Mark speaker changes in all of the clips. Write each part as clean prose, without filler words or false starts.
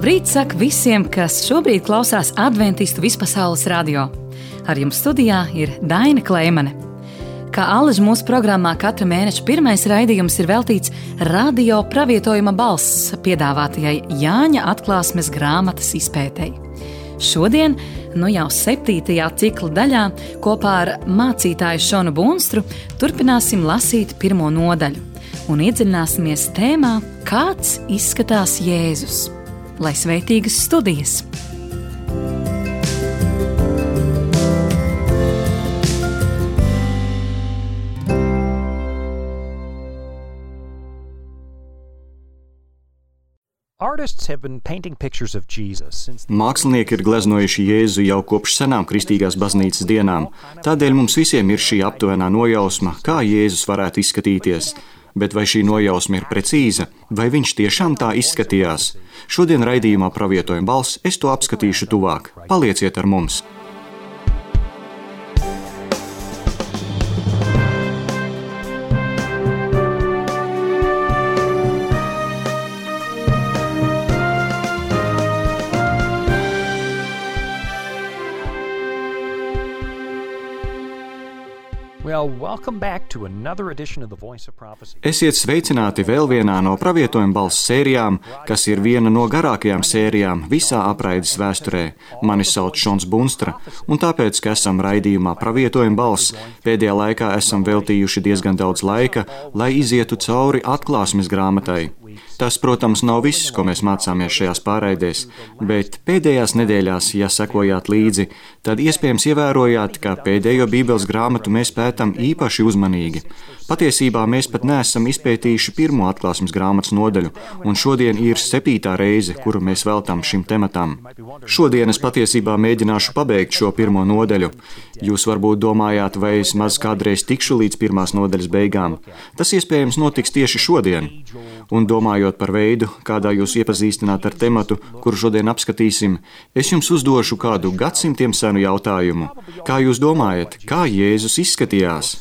Speaker 1: Labrīt, saka visiem, kas šobrīd klausās Adventistu vispasaules radio. Ar jums studijā ir Daina Kleimane. Kā allaž mūsu programmā katra mēneša pirmais raidījums ir veltīts radio pravietojuma balss piedāvātajai Jāņa atklāsmes grāmatas izpētei. Šodien, jau 7. cikla daļā, kopā ar mācītāju Šonu Bunstru turpināsim lasīt 1. nodaļu un iedziļināsimies tēmā, kāds izskatās Jēzus. Lai svētīgas studijas!
Speaker 2: Mākslinieki ir gleznojuši Jēzu jau kopš senām kristīgās baznīcas dienām. Tādēļ mums visiem ir šī aptuvenā nojausma, kā Jēzus varētu izskatīties. Bet vai šī nojausma ir precīza, vai viņš tiešām tā izskatījās? Šodien raidījumā Pravietojuma balss es to apskatīšu tuvāk. Palieciet ar mums! Esiet sveicināti vēl vienā no Pravietojuma balss sērijām, kas ir viena no garākajām sērijām visā apraides vēsturē. Mani sauc Šons Bunstra, un tāpēc, ka esam raidījumā Pravietojuma balss, pēdējā laikā esam veltījuši diezgan daudz laika, lai izietu cauri atklāsmes grāmatai. Tas, protams, nav viss, ko mēs mācāmies šajās pārraidēs, bet pēdējās nedēļās, ja sekojāt līdzi, tad iespējams ievērojāt, ka pēdējo Bībeles grāmatu mēs pētam īpaši uzmanīgi. Patiesībā mēs pat neesam izpētījuši 1. atklāsmes grāmatas nodaļu, un šodien ir 7. reize, kuru mēs veltam šim tematam. Šodien es patiesībā mēģināšu pabeigt šo 1. nodaļu. Jūs varbūt domājāt, vai es maz kādreiz tikšu līdz 1. nodaļas beigām. Tas iespējams notiks tieši šodien. Un domājot par veidu, kādā jūs iepazīstināt ar tematu, kuru šodien apskatīsim, es jums uzdošu kādu gadsimtiem senu jautājumu. Kā jūs domājat, kā Jēzus izskatījās?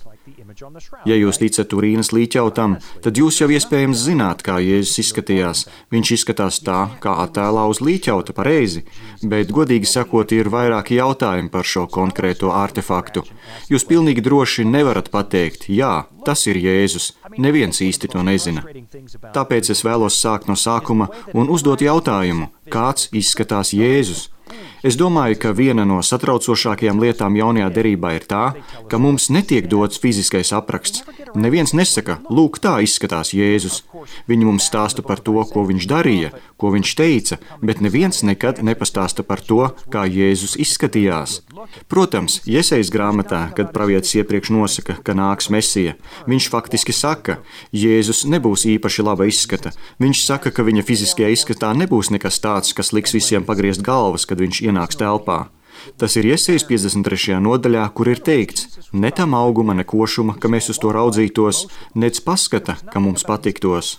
Speaker 2: Ja jūs ticat Turīnas līķautam, tad jūs jau iespējams zināt, kā Jēzus izskatījās. Viņš izskatās tā, kā attēlā uz līķauta, pareizi, bet, godīgi sakot, ir vairāki jautājumi par šo konkrēto artefaktu. Jūs pilnīgi droši nevarat pateikt, jā, tas ir Jēzus. Neviens īsti to nezina. Tāpēc es vēlos sākt no sākuma un uzdot jautājumu, kāds izskatās Jēzus? Es domāju, ka viena no satraucošākajām lietām jaunajā derībā ir tā, ka mums netiek dots fiziskais apraksts. Neviens nesaka, lūk, tā izskatās Jēzus. Viņi mums stāsta par to, ko viņš darīja, ko viņš teica, bet neviens nekad nepastāsta par to, kā Jēzus izskatījās. Protams, Jesejas grāmatā, kad pravietis iepriekš nosaka, ka nāks Mesija, viņš faktiski saka, Jēzus nebūs īpaši laba izskata. Viņš saka, ka viņa fiziskajā izskatā nebūs nekas tāds, kas liks visiem pagriezt galvas, kad viņš ienāks telpā. Tas ir Jesejas 53. nodaļā, kur ir teikts, ne tam auguma, ne košuma, ka mēs uz to raudzītos, nec paskata, ka mums patiktos.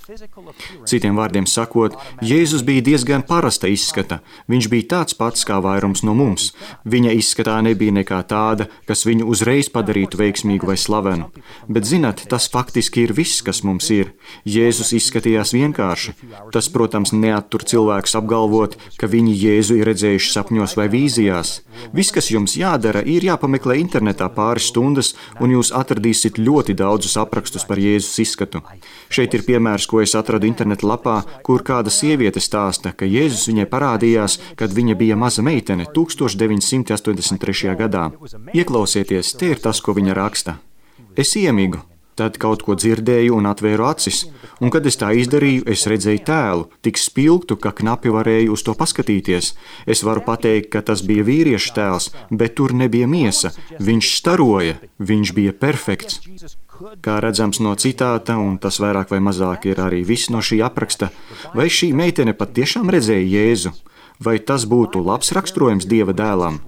Speaker 2: Citiem vārdiem sakot, Jēzus bija diezgan parasta izskata. Viņš bija tāds pats kā vairums no mums. Viņa izskatā nebija nekā tāda, kas viņu uzreiz padarītu veiksmīgu vai slavenu. Bet, zināt, tas faktiski ir viss, kas mums ir. Jēzus izskatījās vienkārši. Tas, protams, neattur cilvēkus apgalvot, ka viņi Jēzu ir redzējuši sapņos vai vīzijās. Viss, kas jums jādara, ir jāpameklē internetā pāris stundas, un jūs atradīsiet ļoti daudzus aprakstus par Jēzus izskatu. Šeit ir piemērs, ko es atradu interneta lapā, kur kāda sieviete stāsta, ka Jēzus viņai parādījās, kad viņa bija maza meitene 1983. gadā. Ieklausieties, te ir tas, ko viņa raksta. Es iemigu. Tad kaut ko dzirdēju un atvēru acis, un kad es tā izdarīju, es redzēju tēlu, tik spilgtu, ka knapi varēju uz to paskatīties. Es varu pateikt, ka tas bija vīrieša tēls, bet tur nebija miesa. Viņš staroja, viņš bija perfekts. Kā redzams no citāta, un tas vairāk vai mazāk ir arī viss no šī apraksta, vai šī meitene pat tiešām redzēja Jēzu? Vai tas būtu labs raksturojums Dieva dēlam?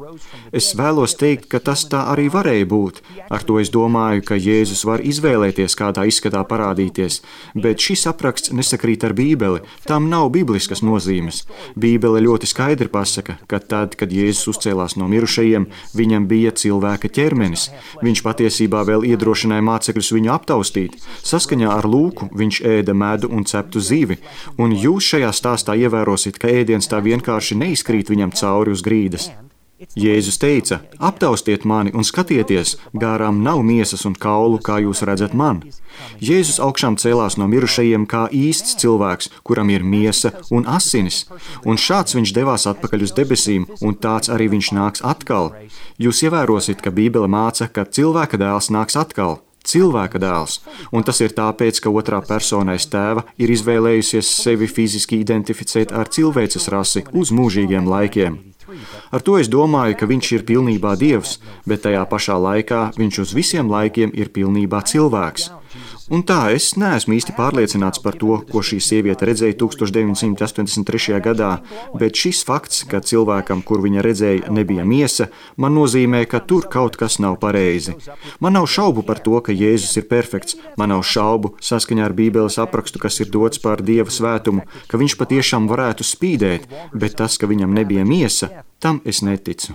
Speaker 2: Es vēlos teikt, ka tas tā arī varēja būt. Ar to es domāju, ka Jēzus var izvēlēties, kādā izskatā parādīties, bet šis apraksts nesakrīt ar Bībeli. Tam nav bibliskas nozīmes. Bībele ļoti skaidri pasaka, ka tad, kad Jēzus uzcēlās no mirušajiem, viņam bija cilvēka ķermenis. Viņš patiesībā vēl iedrošināja mācekļus viņu aptaustīt. Saskaņā ar Lūku viņš ēda medu un ceptu zivi, un jūs šajā stāstā ievērosiet, ka ēdiens tā vienkārši neizkrīt viņam cauri uz grīdas. Jēzus teica: aptaustiet mani un skatieties, gārām nav miesas un kaulu, kā jūs redzat man. Jēzus augšām cēlās no mirušajiem kā īsts cilvēks, kuram ir miesa un asinis, un šāds viņš devās atpakaļ uz debesīm, un tāds arī viņš nāks atkal. Jūs ievērosiet, ka Bībele māca, ka cilvēka dēls nāks atkal. Cilvēka dēls, un tas ir tāpēc, ka otrā persona aiz tēva ir izvēlējusies sevi fiziski identificēt ar cilvēces rasi uz mūžīgiem laikiem. Ar to es domāju, ka viņš ir pilnībā Dievs, bet tajā pašā laikā viņš uz visiem laikiem ir pilnībā cilvēks. Un tā, es neesmu īsti pārliecināts par to, ko šī sieviete redzēja 1983. gadā, bet šis fakts, ka cilvēkam, kur viņa redzēja, nebija miesa, man nozīmē, ka tur kaut kas nav pareizi. Man nav šaubu par to, ka Jēzus ir perfekts, man nav šaubu, saskaņā ar Bībeles aprakstu, kas ir dots par Dieva svētumu, ka viņš patiešām varētu spīdēt, bet tas, ka viņam nebija miesa, tam es neticu.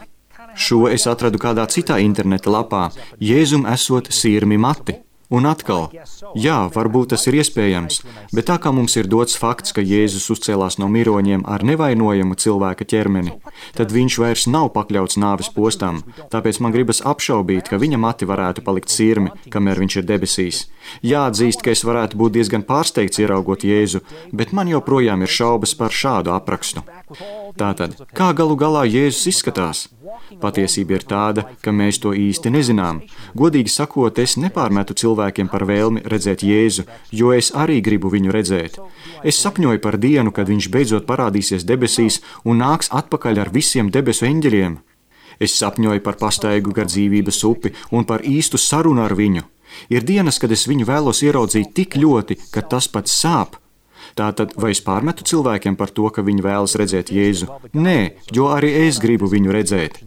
Speaker 2: Šo es atradu kādā citā interneta lapā. Jēzum esot sirmi mati. Un atkal, jā, varbūt tas ir iespējams, bet tā kā mums ir dots fakts, ka Jēzus uzcēlās no miroņiem ar nevainojamu cilvēka ķermeni, tad viņš vairs nav pakļauts nāves postam, tāpēc man gribas apšaubīt, ka viņa mati varētu palikt sirmi, kamēr viņš ir debesīs. Jāatzīst, ka es varētu būt diezgan pārsteigts ieraugot Jēzu, bet man joprojām ir šaubas par šādu aprakstu. Tātad, kā galu galā Jēzus izskatās? Patiesība ir tāda, ka mēs to īsti nezinām. Godīgi sakot, es nepārmetu cilvēkiem par vēlmi redzēt Jēzu, jo es arī gribu viņu redzēt. Es sapņoju par dienu, kad viņš beidzot parādīsies debesīs un nāks atpakaļ ar visiem debesu eņģeļiem. Es sapņoju par pastaigu gar dzīvības upi un par īstu sarunu ar viņu. Ir dienas, kad es viņu vēlos ieraudzīt tik ļoti, ka tas pat sāp. Tātad, vai es pārmetu cilvēkiem par to, ka viņi vēlas redzēt Jēzu? Nē, jo arī es gribu viņu redzēt.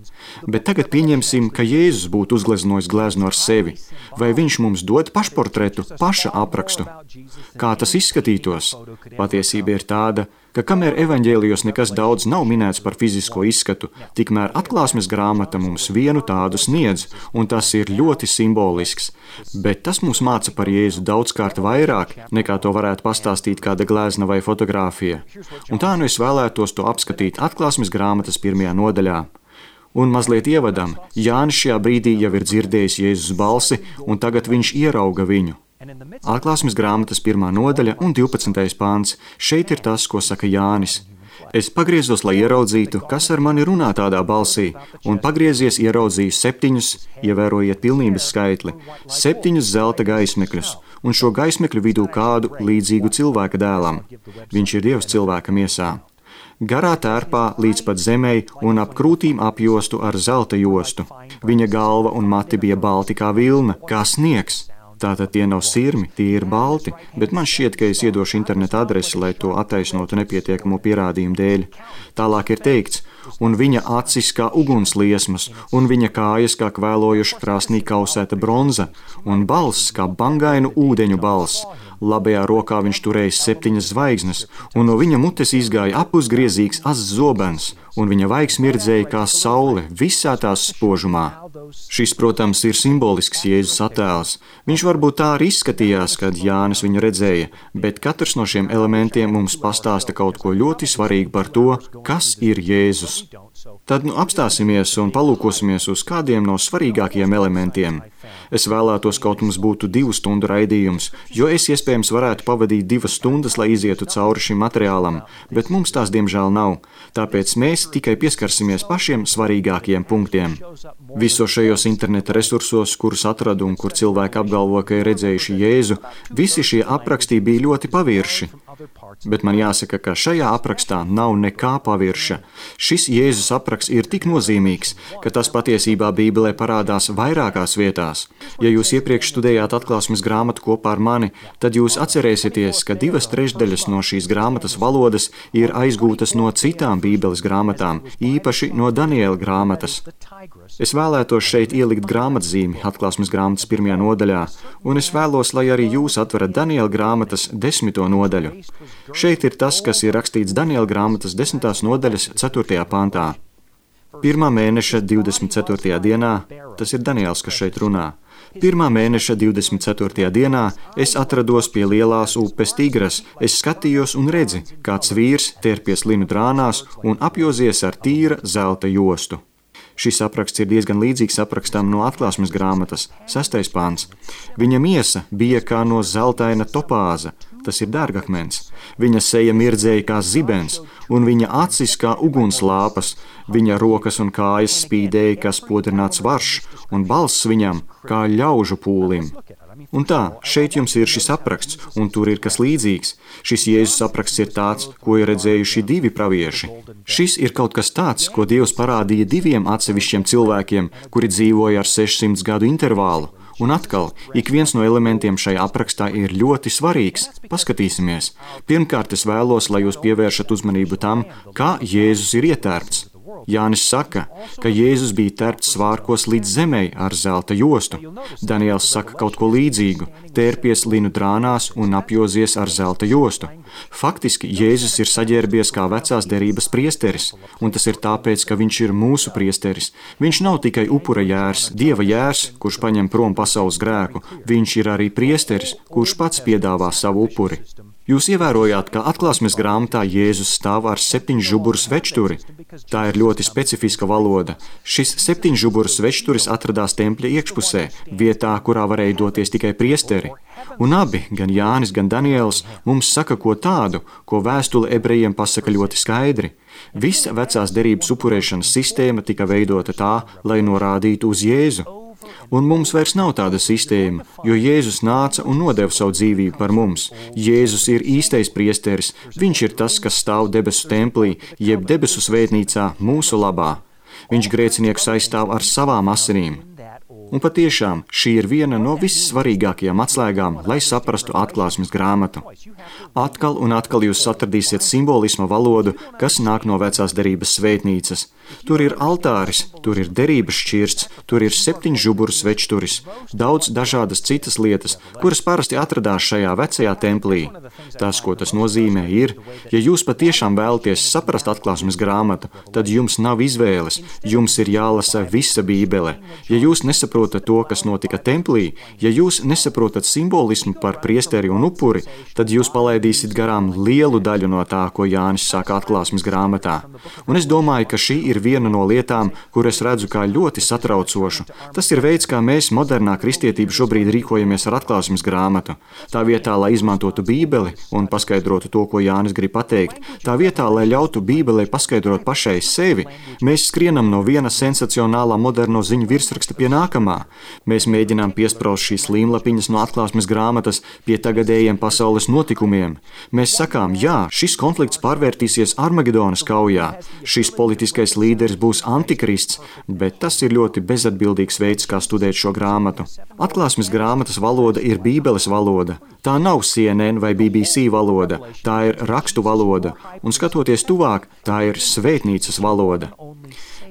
Speaker 2: Bet tagad pieņemsim, ka Jēzus būtu uzgleznojis gleznu ar sevi. Vai viņš mums dod pašportretu, paša aprakstu? Kā tas izskatītos? Patiesība ir tāda, ka kamēr evaņģēlijos nekas daudz nav minēts par fizisko izskatu, tikmēr atklāsmes grāmata mums vienu tādu sniedz, un tas ir ļoti simbolisks. Bet tas mums māca par Jēzu daudzkārt vairāk, nekā to varētu pastāstīt kāda glezna vai fotogrāfija. Un tā nu es vēlētos to apskatīt atklāsmes grāmatas 1. nodaļā. Un mazliet ievadam, Jānis šajā brīdī jau ir dzirdējis Jēzus balsi, un tagad viņš ierauga viņu. Atklāsmes grāmatas 1. nodaļa un 12. pāns. Šeit ir tas, ko saka Jānis. Es pagriezos, lai ieraudzītu, kas ar mani runā tādā balsī, un pagriezies ieraudzīju 7, ievērojiet pilnības skaitli, 7 zelta gaismekļus, un šo gaismekļu vidū kādu līdzīgu cilvēka dēlam. Viņš ir Dievs cilvēka miesā. Garā tērpā līdz pat zemei un ap krūtīm apjostu ar zelta jostu. Viņa galva un mati bija balti kā vilna, kā sniegs. Tātad tie nav sirmi, tie ir balti, bet man šķiet, ka es iedošu interneta adresi, lai to attaisnotu nepietiekamo pierādījumu dēļ. Tālāk ir teikts, un viņa acis kā ugunsliesmas, un viņa kājas kā kvēlojuša krāsnī kausēta bronza, un balss kā bangainu ūdeņu balss. Labajā rokā viņš turēja 7 zvaigznes, un no viņa mutes izgāja apusgriezīgs azs zobens, un viņa vaigs mirdzēja kā saule visā tās spožumā. Šis, protams, ir simbolisks Jēzus attēls. Viņš varbūt tā arī izskatījās, kad Jānis viņu redzēja, bet katrs no šiem elementiem mums pastāsta kaut ko ļoti svarīgu par to, kas ir Jēzus. Tad apstāsimies un palūkosimies uz kādiem no svarīgākajiem elementiem. Es vēlētos, kaut mums būtu 2 stundu raidījums, jo es iespējams varētu pavadīt 2 stundas, lai izietu cauri šim materiālam, bet mums tās diemžēl nav, tāpēc mēs tikai pieskarsimies pašiem svarīgākajiem punktiem. Visos šajos interneta resursos, kurus atradu un kur cilvēki apgalvo, ka ir redzējuši Jēzu, visi šie aprakstī bija ļoti pavirši. Bet man jāsaka, ka šajā aprakstā nav nekā pavirša. Šis Jēzus apraksts ir tik nozīmīgs, ka tas patiesībā Bībelē parādās vairākās vietās. Ja jūs iepriekš studējāt atklāsmes grāmatu kopā ar mani, tad jūs atcerēsieties, ka 2/3 no šīs grāmatas valodas ir aizgūtas no citām Bībeles grāmatām, īpaši no Daniela grāmatas. Es vēlētos šeit ielikt grāmatzīmi atklāsmes grāmatas 1. nodaļā, un es vēlos, lai arī jūs atverat Daniela grāmatas 10. nodaļu. Šeit ir tas, kas ir rakstīts Daniela grāmatas 10. nodaļas 4. pantā. 1. mēneša 24. dienā, tas ir Daniels, kas šeit runā. 1. mēneša 24. dienā es atrados pie lielās upes Tigras. Es skatījos un redzi, kāds vīrs terpies linu drānās un apjozies ar tīra zelta jostu. Šis apraksts ir diezgan līdzīgs aprakstam no atklāsmes grāmatas, 6. pants. Viņa miesa bija kā no zeltaina topāza, tas ir dārgakmens. Viņa seja mirdzēja kā zibens, un viņa acis kā ugunslāpas, viņa rokas un kājas spīdēja kā spodrināts varš, un balss viņam kā ļaužu pūlim. Un tā, šeit jums ir šis apraksts, un tur ir kas līdzīgs. Šis Jēzus apraksts ir tāds, ko ir redzējuši 2 pravieši. Šis ir kaut kas tāds, ko Dievs parādīja 2 atsevišķiem cilvēkiem, kuri dzīvoja ar 600 gadu intervālu. Un atkal, ik viens no elementiem šajā aprakstā ir ļoti svarīgs. Paskatīsimies. Pirmkārt, es vēlos, lai jūs pievēršat uzmanību tam, kā Jēzus ir ietērpts. Jānis saka, ka Jēzus bija tērpts svārkos līdz zemei ar zelta jostu. Daniels saka kaut ko līdzīgu, tērpies linu drānās un apjozies ar zelta jostu. Faktiski Jēzus ir saģērbies kā vecās derības priesteris, un tas ir tāpēc, ka viņš ir mūsu priesteris. Viņš nav tikai upura jērs, Dieva jērs, kurš paņem prom pasaules grēku, viņš ir arī priesteris, kurš pats piedāvā savu upuri. Jūs ievērojāt, ka atklāsmes grāmatā Jēzus stāv ar 7 žuburu svečturi. Tā ir ļoti specifiska valoda. Šis 7 žuburu svečturis atradās tempļa iekšpusē, vietā, kurā varēja doties tikai priesteri. Un abi, gan Jānis, gan Daniels, mums saka ko tādu, ko vēstule ebrejiem pasaka ļoti skaidri. Visa vecās derības upurēšanas sistēma tika veidota tā, lai norādītu uz Jēzu. Un mums vairs nav tāda sistēma, jo Jēzus nāca un nodeva savu dzīvību par mums. Jēzus ir īstais priesteris, viņš ir tas, kas stāv debesu templī, jeb debesu svētnīcā mūsu labā. Viņš grēciniekus aizstāv ar savām asinīm. Un patiešām šī ir viena no vissvarīgākajām atslēgām, lai saprastu atklāsmes grāmatu. Atkal un atkal jūs atradīsiet simbolisma valodu, kas nāk no vecās derības svētnīcas. Tur ir altāris, tur ir derības šķirsts, tur ir 7 žuburu svečturis, daudz dažādas citas lietas, kuras parasti atradās šajā vecajā templī. Tas, ko tas nozīmē, ir, ja jūs patiešām vēlaties saprast atklāsmes grāmatu, tad jums nav izvēles, jums ir jālasa visa Bībele. Ja jūs nesaprotat to, kas notika templī, ja jūs nesaprotat simbolismu par priesteri un upuri, tad jūs palaidīsiet garām lielu daļu no tā, ko Jānis saka atklāsmes grāmatā. Un es domāju, ka šī ir viena no lietām, kur es redzu kā ļoti satraucošu. Tas ir veids, kā mēs modernā kristietība šobrīd rīkojamies ar atklāsmes grāmatu. Tā vietā, lai izmantotu Bībeli un paskaidrotu to, ko Jānis grib pateikt, tā vietā, lai ļautu Bībelei paskaidrot pašai sevi, mēs skrienam no viena sensacionālā moderno ziņu virsraksta pie nākamā. Mēs mēģinām piespraust šīs līmlapiņas no atklāsmes grāmatas pie tagadējiem pasaules notikumiem. Mēs sakām, jā, šis konflikts pārvērtīsies Armagedonas kaujā. Šis politiskais līderis būs antikrists, bet tas ir ļoti bezatbildīgs veids, kā studēt šo grāmatu. Atklāsmes grāmatas valoda ir Bībeles valoda. Tā nav CNN vai BBC valoda, tā ir rakstu valoda, un skatoties tuvāk, tā ir svētnīcas valoda.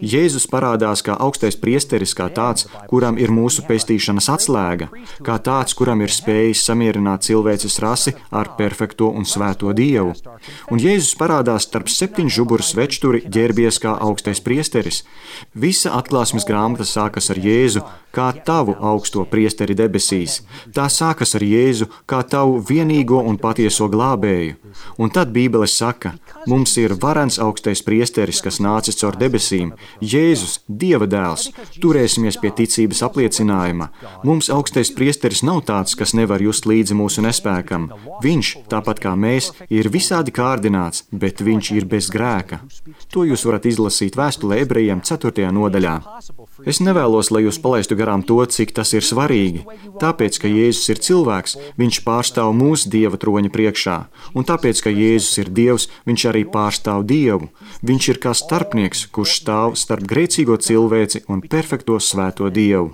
Speaker 2: Jēzus parādās kā augstais priesteris, kā tāds, kuram ir mūsu pestīšanas atslēga, kā tāds, kuram ir spējis samierināt cilvēces rasi ar perfekto un svēto Dievu. Un Jēzus parādās starp 7 žuburu svečturi, ģērbies kā augstais priesteris. Visa atklāsmes grāmata sākas ar Jēzu kā tavu augsto priesteri debesīs. Tā sākas ar Jēzu kā tavu vienīgo un patieso glābēju. Un tad Bībele saka, mums ir varens augstais priesteris, kas nācis caur debesīm, Jēzus, Dieva dēls, turēsimies pie ticības apliecinājuma. Mums augstais priesteris nav tāds, kas nevar just līdzi mūsu nespēkam. Viņš, tāpat kā mēs, ir visādi kārdināts, bet viņš ir bez grēka. To jūs varat izlasīt vēstulē Ebrejiem 4. nodaļā. Es nevēlos, lai jūs palaistu garām to, cik tas ir svarīgi. Tāpēc, ka Jēzus ir cilvēks, viņš pārstāv mūsu Dieva troņa priekšā. Un tāpēc, ka Jēzus ir Dievs, viņš arī pārstāv Dievu. Viņš ir kā starpnieks, kurš stāv starp grēcīgo cilvēci un perfekto svēto Dievu.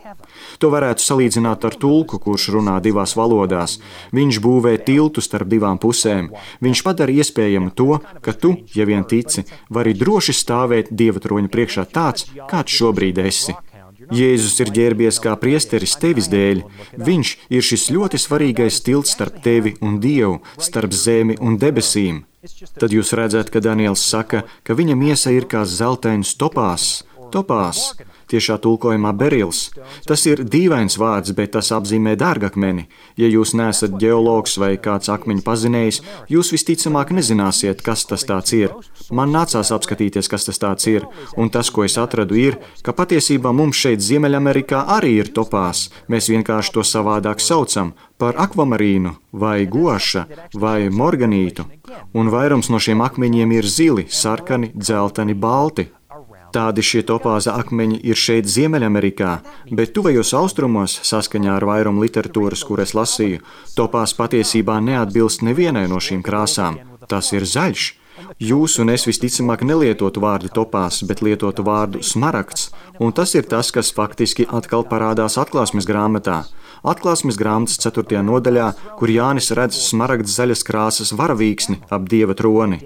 Speaker 2: To varētu salīdzināt ar tulku, kurš runā divās valodās. Viņš būvē tiltu starp divām pusēm. Viņš padara iespējamu to, ka tu, ja vien tici, vari droši stāvēt Dieva troņa priekšā tāds, kāds šobrīd esi. Jēzus ir ģērbies kā priesteris tevis dēļ. Viņš ir šis ļoti svarīgais tilts starp tevi un Dievu, starp zemi un debesīm. Tad jūs redzat, ka Daniels saka, ka viņa miesa ir kā zeltains topās. Topās, tiešā tulkojumā berils. Tas ir dīvains vārds, bet tas apzīmē dārgakmeni. Ja jūs neesat ģeologs vai kāds akmeņu pazinējs, jūs visticamāk nezināsiet, kas tas tāds ir. Man nācās apskatīties, kas tas tāds ir, un tas, ko es atradu, ir, ka patiesībā mums šeit Ziemeļamerikā arī ir topās. Mēs vienkārši to savādāk saucam par akvamarīnu, vai goša, vai morganītu. Un vairums no šiem akmeņiem ir zili, sarkani, dzelteni, balti. Tādi šie topāza akmeņi ir šeit Ziemeļamerikā, bet tuvajos austrumos, saskaņā ar vairumu literatūras, kur es lasīju, topās patiesībā neatbilst nevienai no šīm krāsām. Tas ir zaļš. Jūs un es visticamāk nelietotu vārdu topās, bet lietotu vārdu smaragds, un tas ir tas, kas faktiski atkal parādās Atklāsmes grāmatā. Atklāsmes grāmatas 4. nodaļā, kur Jānis redz smaragds zaļas krāsas varavīksni ap Dieva troni.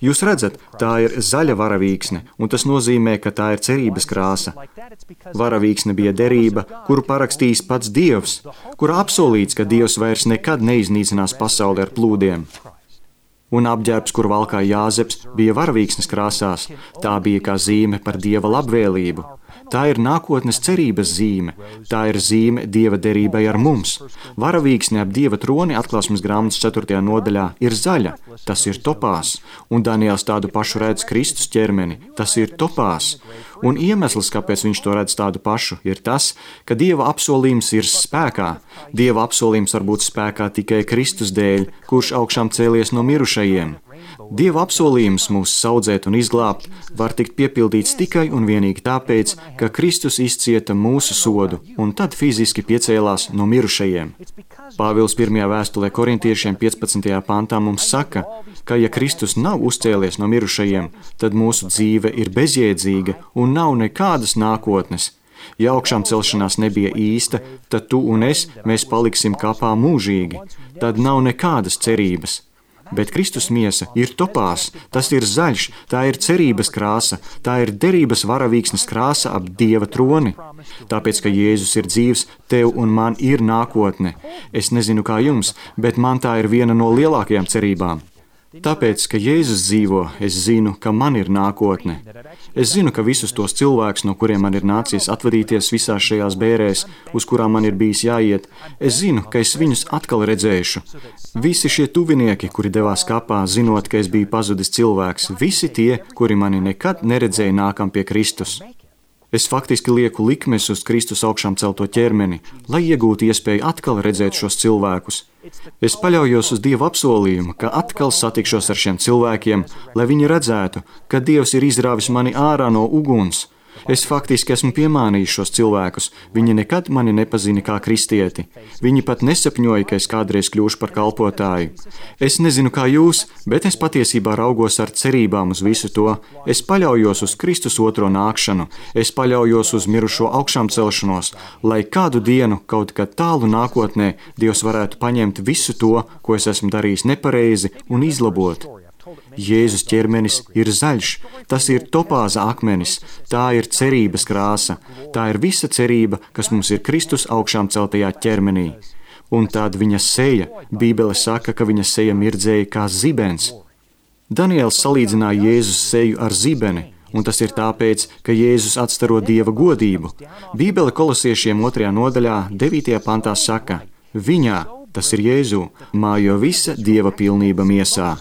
Speaker 2: Jūs redzat, tā ir zaļa varavīksne, un tas nozīmē, ka tā ir cerības krāsa. Varavīksne bija derība, kuru parakstījis pats Dievs, kura apsolīts, ka Dievs vairs nekad neiznīcinās pasauli ar plūdiem. Un apģērbs, kur valkāja Jāzeps, bija varavīksnes krāsās. Tā bija kā zīme par Dieva labvēlību. Tā ir nākotnes cerības zīme. Tā ir zīme Dieva derībai ar mums. Varavīksne ap Dieva troni Atklāsmes grāmatas 4. nodaļā ir zaļa. Tas ir topās. Un Daniels tādu pašu redz Kristus ķermeni. Tas ir topās. Un iemesls, kāpēc viņš to redz tādu pašu, ir tas, ka Dieva apsolījums ir spēkā. Dieva apsolījums var būt spēkā tikai Kristus dēļ, kurš augšām cēlies no mirušajiem. Dieva apsolījums mūs saudzēt un izglābt var tikt piepildīts tikai un vienīgi tāpēc, ka Kristus izcieta mūsu sodu un tad fiziski piecēlās no mirušajiem. Pāvils 1. vēstulē korintiešiem 15. pantā mums saka, ka ja Kristus nav uzcēlies no mirušajiem, tad mūsu dzīve ir bezjēdzīga un nav nekādas nākotnes. Ja augšām celšanās nebija īsta, tad tu un mēs paliksim kapā mūžīgi. Tad nav nekādas cerības. Bet Kristus miesa ir topās, tas ir zaļš, tā ir cerības krāsa, tā ir derības varavīksnes krāsa ap Dieva troni. Tāpēc, ka Jēzus ir dzīvs, tev un man ir nākotne. Es nezinu, kā jums, bet man tā ir viena no lielākajām cerībām. Tāpēc, ka Jēzus dzīvo, es zinu, ka man ir nākotne. Es zinu, ka visus tos cilvēkus, no kuriem man ir nācies atvadīties visās šajās bērēs, uz kurām man ir bijis jāiet, es zinu, ka es viņus atkal redzēšu. Visi šie tuvinieki, kuri devās kapā, zinot, ka es biju pazudis cilvēks, visi tie, kuri mani nekad neredzēja nākam pie Kristus. Es faktiski lieku likmes uz Kristus augšām celto ķermeni, lai iegūtu iespēju atkal redzēt šos cilvēkus. Es paļaujos uz Dieva apsolījumu, ka atkal satikšos ar šiem cilvēkiem, lai viņi redzētu, ka Dievs ir izrāvis mani ārā no uguns. Es faktiski esmu piemānījis šos cilvēkus. Viņi nekad mani nepazina kā kristieti. Viņi pat nesapņoja, ka es kādreiz kļūšu par kalpotāju. Es nezinu, kā jūs, bet es patiesībā raugos ar cerībām uz visu to. Es paļaujos uz Kristus otro nākšanu. Es paļaujos uz mirušo augšām celšanos, lai kādu dienu, kaut kad tālu nākotnē, Dievs varētu paņemt visu to, ko es esmu darījis nepareizi, un izlabot. Jēzus ķermenis ir zaļš, tas ir topāza akmenis, tā ir cerības krāsa, tā ir visa cerība, kas mums ir Kristus augšām celtajā ķermenī. Un tad viņa seja, Bībele saka, ka viņa seja mirdzēja kā zibens. Daniels salīdzināja Jēzus seju ar zibeni, un tas ir tāpēc, ka Jēzus atstaro Dieva godību. Bībele Kolosiešiem 2. nodaļā 9. pantā saka, viņā, tas ir Jēzū, mājo visa Dieva pilnība miesā.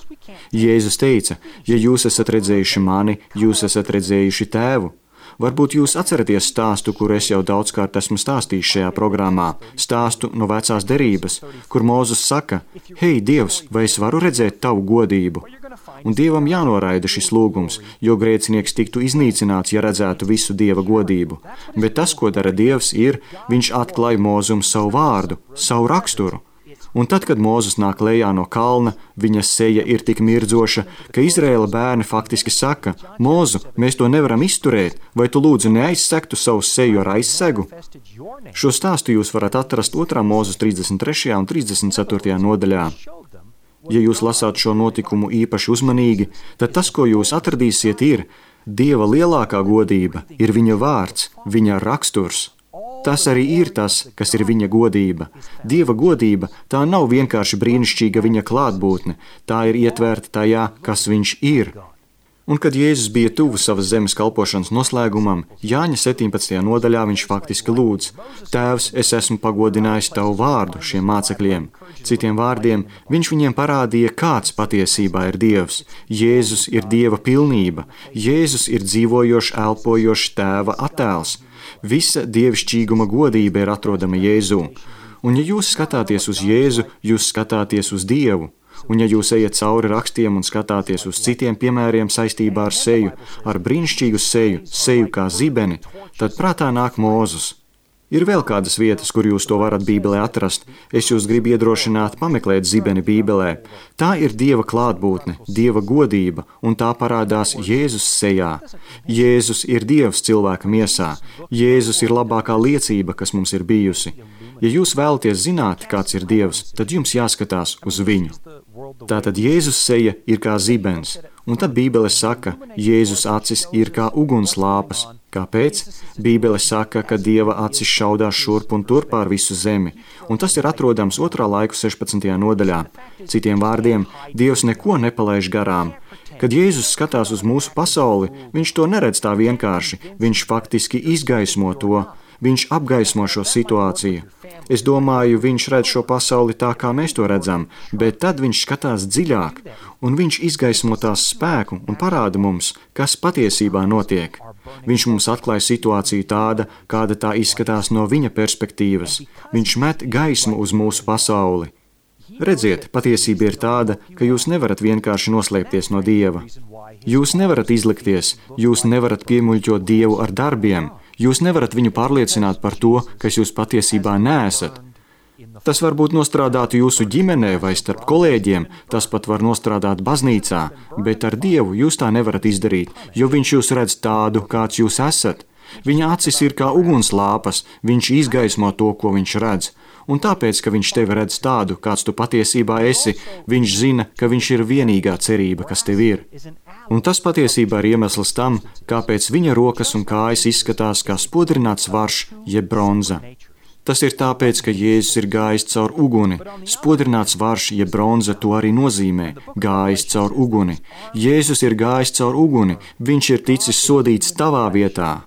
Speaker 2: Jēzus teica, ja jūs esat redzējuši mani, jūs esat redzējuši tēvu. Varbūt jūs atceraties stāstu, kur es jau daudzkārt esmu stāstījis šajā programmā, stāstu no vecās derības, kur Mūzes saka: Hei, Dievs, vai es varu redzēt tavu godību? Un Dievam jānoraida šis lūgums, jo grēcinieks tiktu iznīcināts, ja redzētu visu Dieva godību. Bet tas, ko dara Dievs, ir, viņš atklāja Mūzum savu vārdu, savu raksturu. Un tad, kad Mūzes nāk lejā no kalna, viņa seja ir tik mirdzoša, ka Izraēla bērni faktiski saka: Mūzu, mēs to nevaram izturēt, vai tu lūdzu neaizsegtu savu seju ar aizsegu? Šo stāstu jūs varat atrast 2. Mūzes 33. un 34. nodaļā. Ja jūs lasāt šo notikumu īpaši uzmanīgi, tad tas, ko jūs atradīsiet, ir: Dieva lielākā godība ir viņa vārds, viņa raksturs. Tas arī ir tas, kas ir viņa godība. Dieva godība, tā nav vienkārši brīnišķīga viņa klātbūtne, tā ir ietverta tajā, kas viņš ir. Un kad Jēzus bija tuvu savas zemes kalpošanas noslēgumam, Jāņa 17. nodaļā viņš faktiski lūdz: Tēvs, es esmu pagodinājis tavu vārdu šiem mācekļiem. Citiem vārdiem, viņš viņiem parādīja, kāds patiesībā ir Dievs. Jēzus ir Dieva pilnība. Jēzus ir dzīvojošs, elpojošs Tēva attēls. Visa dievišķīguma godība ir atrodama Jēzū. Un ja jūs skatāties uz Jēzu, jūs skatāties uz Dievu. Un ja jūs ejat cauri rakstiem un skatāties uz citiem piemēriem saistībā ar seju, ar brīnišķīgu seju kā zibeni, tad prātā nāk Mūzes. Ir vēl kādas vietas, kur jūs to varat Bībelē atrast. Es jūs gribu iedrošināt pameklēt zibeni Bībelē. Tā ir Dieva klātbūtne, Dieva godība, un tā parādās Jēzus sejā. Jēzus ir Dievs cilvēka miesā. Jēzus ir labākā liecība, kas mums ir bijusi. Ja jūs vēlaties zināt, kāds ir Dievs, tad jums jāskatās uz viņu. Tātad Jēzus seja ir kā zibens, un tad Bībele saka, Jēzus acis ir kā ugunslāpas. Kāpēc? Bībele saka, ka Dieva acis šaudās šurp un tur pār visu zemi, un tas ir atrodams 2. laiku 16. nodaļā. Citiem vārdiem, Dievs neko nepalaiž garām. Kad Jēzus skatās uz mūsu pasauli, viņš to neredz tā vienkārši, viņš faktiski izgaismo to. Viņš apgaismo šo situāciju. Es domāju, viņš redz šo pasauli tā, kā mēs to redzam, bet tad viņš skatās dziļāk, un viņš izgaismo tās spēku un parāda mums, kas patiesībā notiek. Viņš mums atklāja situāciju tāda, kāda tā izskatās no viņa perspektīvas. Viņš met gaismu uz mūsu pasauli. Redziet, patiesība ir tāda, ka jūs nevarat vienkārši noslēpties no Dieva. Jūs nevarat izlikties, jūs nevarat piemuļķot Dievu ar darbiem. Jūs nevarat viņu pārliecināt par to, kas jūs patiesībā neesat. Tas varbūt nostrādātu jūsu ģimenē vai starp kolēģiem, tas pat var nostrādāt baznīcā, bet ar Dievu jūs tā nevarat izdarīt, jo viņš jūs redz tādu, kāds jūs esat. Viņa acis ir kā ugunslāpas, viņš izgaismo to, ko viņš redz. Un tāpēc, ka viņš tevi redz tādu, kāds tu patiesībā esi, viņš zina, ka viņš ir vienīgā cerība, kas tev ir. Un tas patiesībā ir iemesls tam, kāpēc viņa rokas un kājas izskatās kā spodrināts varš, jeb bronza. Tas ir tāpēc, ka Jēzus ir gājis caur uguni. Spodrināts varš, jeb bronza, to arī nozīmē – gājis caur uguni. Jēzus ir gājis caur uguni, viņš ir ticis sodīts tavā vietā.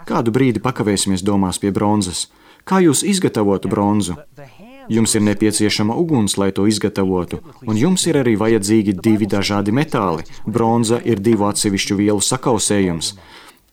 Speaker 2: Kādu brīdi pakavēsimies domās pie bronzas. Kā jūs izgatavotu bronzu? Jums ir nepieciešama uguns, lai to izgatavotu, un jums ir arī vajadzīgi 2 dažādi metāli. Bronza ir 2 atsevišķu vielu sakausējums.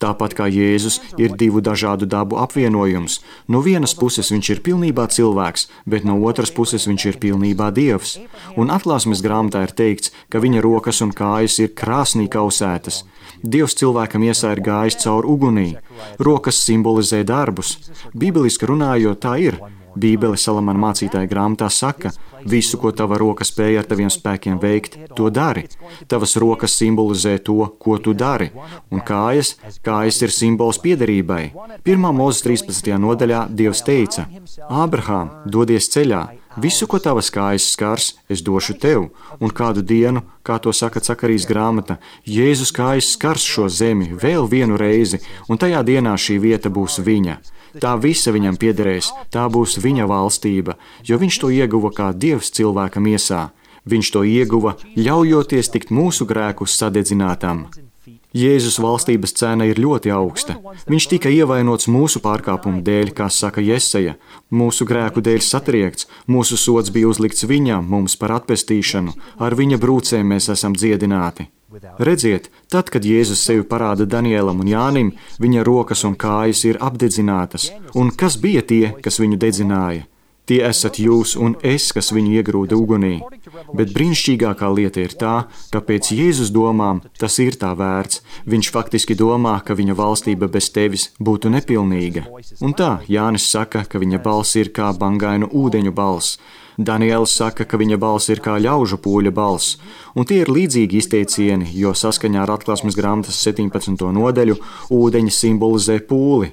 Speaker 2: Tāpat kā Jēzus ir 2 dažādu dabu apvienojums. No vienas puses viņš ir pilnībā cilvēks, bet no otras puses viņš ir pilnībā Dievs. Un Atklāsmes grāmatā ir teikts, ka viņa rokas un kājas ir krāsnī kausētas. Dievs cilvēka miesā ir gājis caur ugunī. Rokas simbolizē darbus. Bībeliski runājot, tā ir. Bībele Salamana mācītāja grāmatā saka, visu, ko tava roka spēja ar taviem spēkiem veikt, to dari. Tavas rokas simbolizē to, ko tu dari. Un kājas ir simbols piederībai. 1. Mūzes 13. nodaļā Dievs teica, Ābrahām, dodies ceļā, visu, ko tavas kājas skars, es došu tev. Un kādu dienu, kā to saka Cakarijas grāmata, Jēzus kājas skars šo zemi vēl vienu reizi, un tajā dienā šī vieta būs viņa. Tā visa viņam piederēs, tā būs viņa valstība, jo viņš to ieguva kā Dievs cilvēka miesā. Viņš to ieguva, ļaujoties tikt mūsu grēkus sadedzinātam. Jēzus valstības cena ir ļoti augsta. Viņš tika ievainots mūsu pārkāpumu dēļ, kā saka Jesaja, mūsu grēku dēļ satriekts, mūsu sods bija uzlikts viņam, mums par atpestīšanu, ar viņa brūcēm mēs esam dziedināti. Redziet, tad, kad Jēzus sevi parāda Danielam un Jānim, viņa rokas un kājas ir apdedzinātas. Un kas bija tie, kas viņu dedzināja? Tie esat jūs un es, kas viņu iegrūda ugunī. Bet brīnišķīgākā lieta ir tā, ka pēc Jēzus domām tas ir tā vērts. Viņš faktiski domā, ka viņa valstība bez tevis būtu nepilnīga. Un tā, Jānis saka, ka viņa balss ir kā bangainu ūdeņu balss. Daniels saka, ka viņa balss ir kā ļaužu pūļa balss, un tie ir līdzīgi izteicieni, jo saskaņā ar Atklāsmes grāmatas 17. nodaļu ūdeņi simbolizē pūli.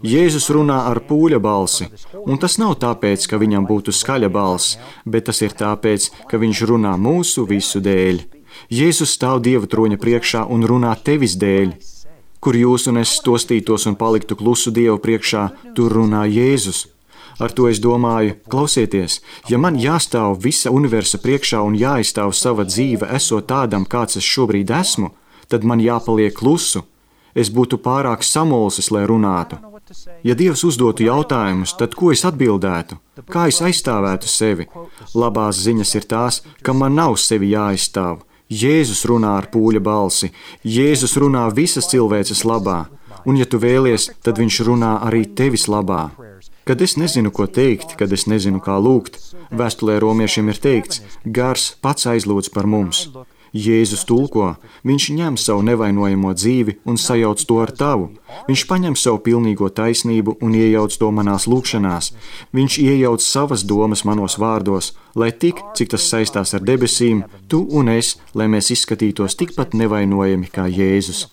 Speaker 2: Jēzus runā ar pūļa balsi, un tas nav tāpēc, ka viņam būtu skaļa balss, bet tas ir tāpēc, ka viņš runā mūsu visu dēļ. Jēzus stāv Dieva troņa priekšā un runā tevis dēļ. Kur jūs un es stostītos un paliktu klusu Dievu priekšā, tur runā Jēzus. Ar to es domāju, klausieties, ja man jāstāv visa universa priekšā un jāizstāv sava dzīve, esot tādam, kāds es šobrīd esmu, tad man jāpaliek klusu. Es būtu pārāk samulsis, lai runātu. Ja Dievs uzdotu jautājumus, tad ko es atbildētu? Kā es aizstāvētu sevi? Labās ziņas ir tās, ka man nav sevi jāaizstāv. Jēzus runā ar pūļa balsi. Jēzus runā visas cilvēces labā. Un ja tu vēlies, tad viņš runā arī tevis labā. Kad es nezinu, ko teikt, kad es nezinu, kā lūgt, vēstulē romiešiem ir teikts, Gars pats aizlūdz par mums. Jēzus tulko, viņš ņem savu nevainojamo dzīvi un sajauc to ar tavu. Viņš paņem savu pilnīgo taisnību un iejauc to manās lūkšanās. Viņš iejauc savas domas manos vārdos, lai tik, cik tas saistās ar debesīm, tu un es, lai mēs izskatītos tikpat nevainojami kā Jēzus.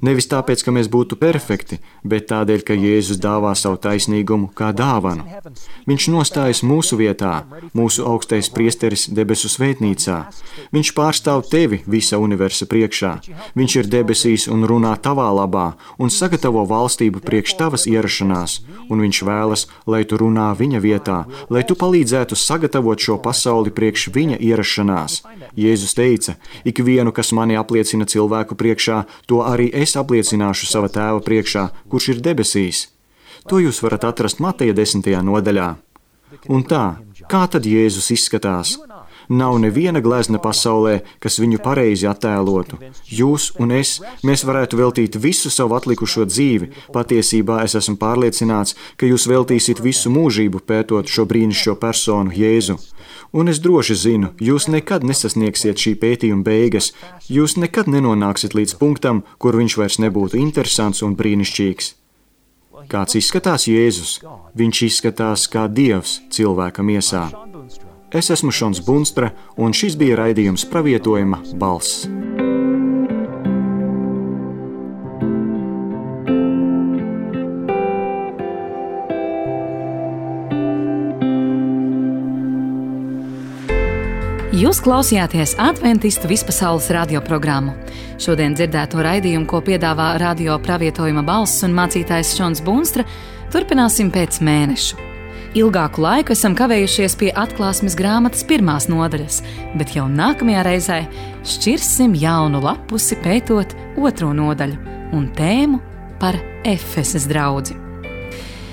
Speaker 2: Nevis tāpēc, ka mēs būtu perfekti, bet tādēļ, ka Jēzus dāvā savu taisnīgumu kā dāvanu. Viņš nostājas mūsu vietā, mūsu augstais priesteris debesu svētnīcā. Viņš pārstāv tevi visa universa priekšā. Viņš ir debesīs un runā tavā labā un sagatavo valstību priekš tavas ierašanās. Un viņš vēlas, lai tu runā viņa vietā, lai tu palīdzētu sagatavot šo pasauli priekš viņa ierašanās. Jēzus teica, ikvienu, kas mani apliecina cilvēku priekšā, to arī es apliecināšu sava tēva priekšā, kurš ir debesīs. To jūs varat atrast Mateja 10. nodaļā. Un tā, kā tad Jēzus izskatās? Nav neviena glezna pasaulē, kas viņu pareizi attēlotu. Jūs un es, mēs varētu veltīt visu savu atlikušo dzīvi. Patiesībā es esmu pārliecināts, ka jūs veltīsiet visu mūžību pētot šo brīnišķīgo personu Jēzu. Un es droši zinu, jūs nekad nesasniegsiet šī pētījuma beigas, jūs nekad nenonāksiet līdz punktam, kur viņš vairs nebūtu interesants un brīnišķīgs. Kāds izskatās Jēzus? Viņš izskatās kā Dievs cilvēka miesā. Es esmu Šons Bunstra, un šis bija raidījums Pravietojuma balss.
Speaker 1: Jūs klausījāties Adventistu vispasaules radioprogrammu. Šodien dzirdēto raidījumu, ko piedāvā radio Pravietojuma balss un mācītājs Šons Bunstra, turpināsim pēc mēneša. Ilgāku laiku esam kavējušies pie Atklāsmes grāmatas 1. nodaļas, bet jau nākamajā reizē šķirsim jaunu lapusi pētot 2. nodaļu un tēmu par Efeses draudzi.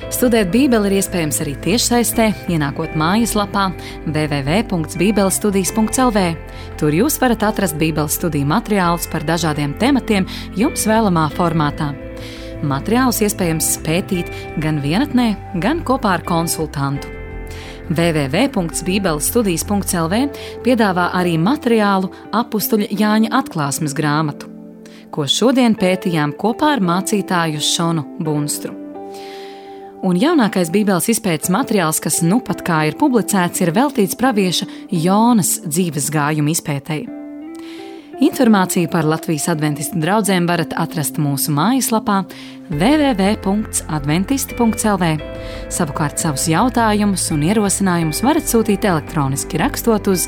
Speaker 1: Studēt Bībeli ir iespējams arī tiešsaistē, ienākot mājaslapā www.bībelestudijas.lv. Tur jūs varat atrast Bībeles studiju materiālus par dažādiem tematiem jums vēlamā formātā. Materiālus iespējams pētīt gan vienatnē, gan kopā ar konsultantu. www.bībelestudijas.lv piedāvā arī materiālu apustuļa Jāņa atklāsmes grāmatu, ko šodien pētījām kopā ar mācītāju Šonu Bunstru. Un jaunākais Bībeles izpētes materiāls, kas nu pat kā ir publicēts, ir veltīts pravieša Jonas dzīves gājuma izpētei. Informāciju par Latvijas adventistu draudzēm varat atrast mūsu mājaslapā www.adventisti.lv. Savukārt savus jautājumus un ierosinājumus varat sūtīt elektroniski rakstot uz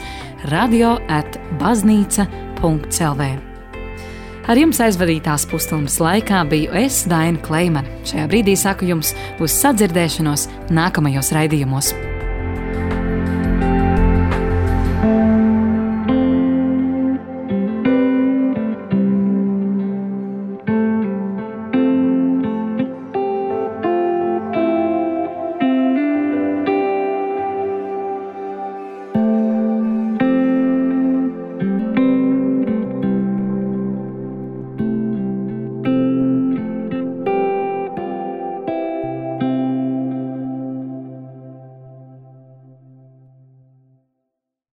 Speaker 1: radio@baznīca.lv. Ar jums aizvadītās pusstundas laikā biju es, Daina Kleimane. Šajā brīdī saku jums uz sadzirdēšanos nākamajos raidījumos.